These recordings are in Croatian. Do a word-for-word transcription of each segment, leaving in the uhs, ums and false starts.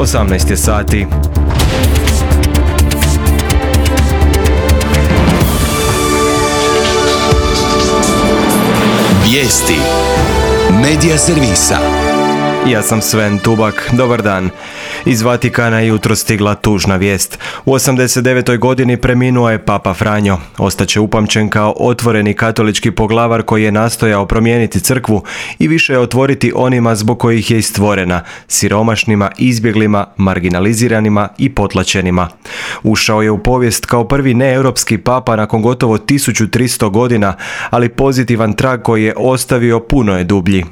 osamnaest je sati. Vijesti Medija servisa. Ja sam Sven Tubak, dobar dan. Iz Vatikana je jutro stigla tužna vijest. U osamdeset devetoj godini preminuo je Papa Franjo. Ostaće upamćen kao otvoreni katolički poglavar koji je nastojao promijeniti crkvu i više je otvoriti onima zbog kojih je i stvorena, siromašnima, izbjeglima, marginaliziranima i potlačenima. Ušao je u povijest kao prvi neeuropski papa nakon gotovo tisuću tristo godina, ali pozitivan trag koji je ostavio puno je dublji.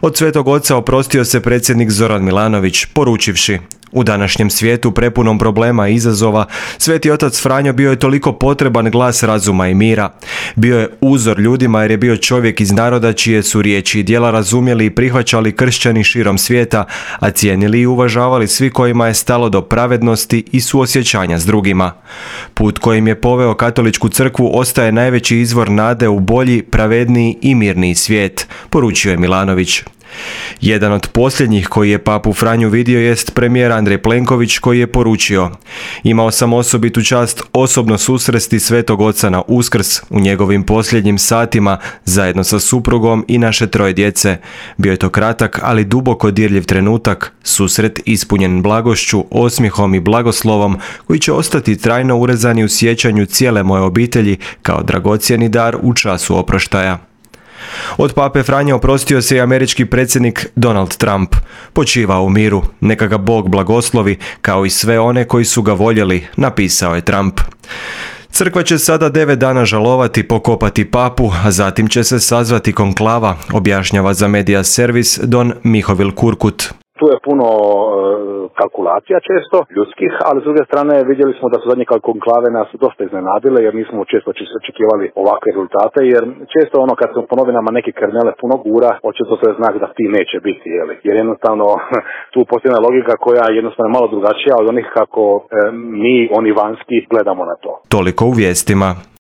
Od Svetog Oca oprostio se predsjednik Zoran Milanović, poručivši: u današnjem svijetu prepunom problema i izazova, Sveti Otac Franjo bio je toliko potreban glas razuma i mira. Bio je uzor ljudima jer je bio čovjek iz naroda čije su riječi i djela razumjeli i prihvaćali kršćani širom svijeta, a cijenili i uvažavali svi kojima je stalo do pravednosti i suosjećanja s drugima. Put kojim je poveo katoličku crkvu ostaje najveći izvor nade u bolji, pravedniji i mirniji svijet, poručio je Milanović. Jedan od posljednjih koji je papu Franju vidio jest premijer Andrej Plenković koji je poručio: imao sam osobitu čast osobno susresti Svetog Oca na Uskrs u njegovim posljednjim satima zajedno sa suprugom i naše troje djece. Bio je to kratak, ali duboko dirljiv trenutak, susret ispunjen blagošću, osmijehom i blagoslovom koji će ostati trajno urezani u sjećanju cijele moje obitelji kao dragocjeni dar u času oproštaja. Od pape Franje oprostio se i američki predsjednik Donald Trump. Počivao u miru, neka ga Bog blagoslovi, kao i sve one koji su ga voljeli, napisao je Trump. Crkva će sada devet dana žalovati, pokopati papu, a zatim će se sazvati konklava, objašnjava za Medija servis Don Mihovil Kurkut. Tu je puno kalkulacija često, ljudskih, ali s druge strane vidjeli smo da su zadnje konklave nas dosta iznenadile jer nismo često očekivali ovakve rezultate, jer često ono kad se po novinama neke kernele puno gura, očito to je znak da ti neće biti, jeli? Jer jednostavno tu postoji jedna logika koja je jednostavno malo drugačija od onih kako e, mi, oni vanjski, gledamo na to. Toliko u vijestima.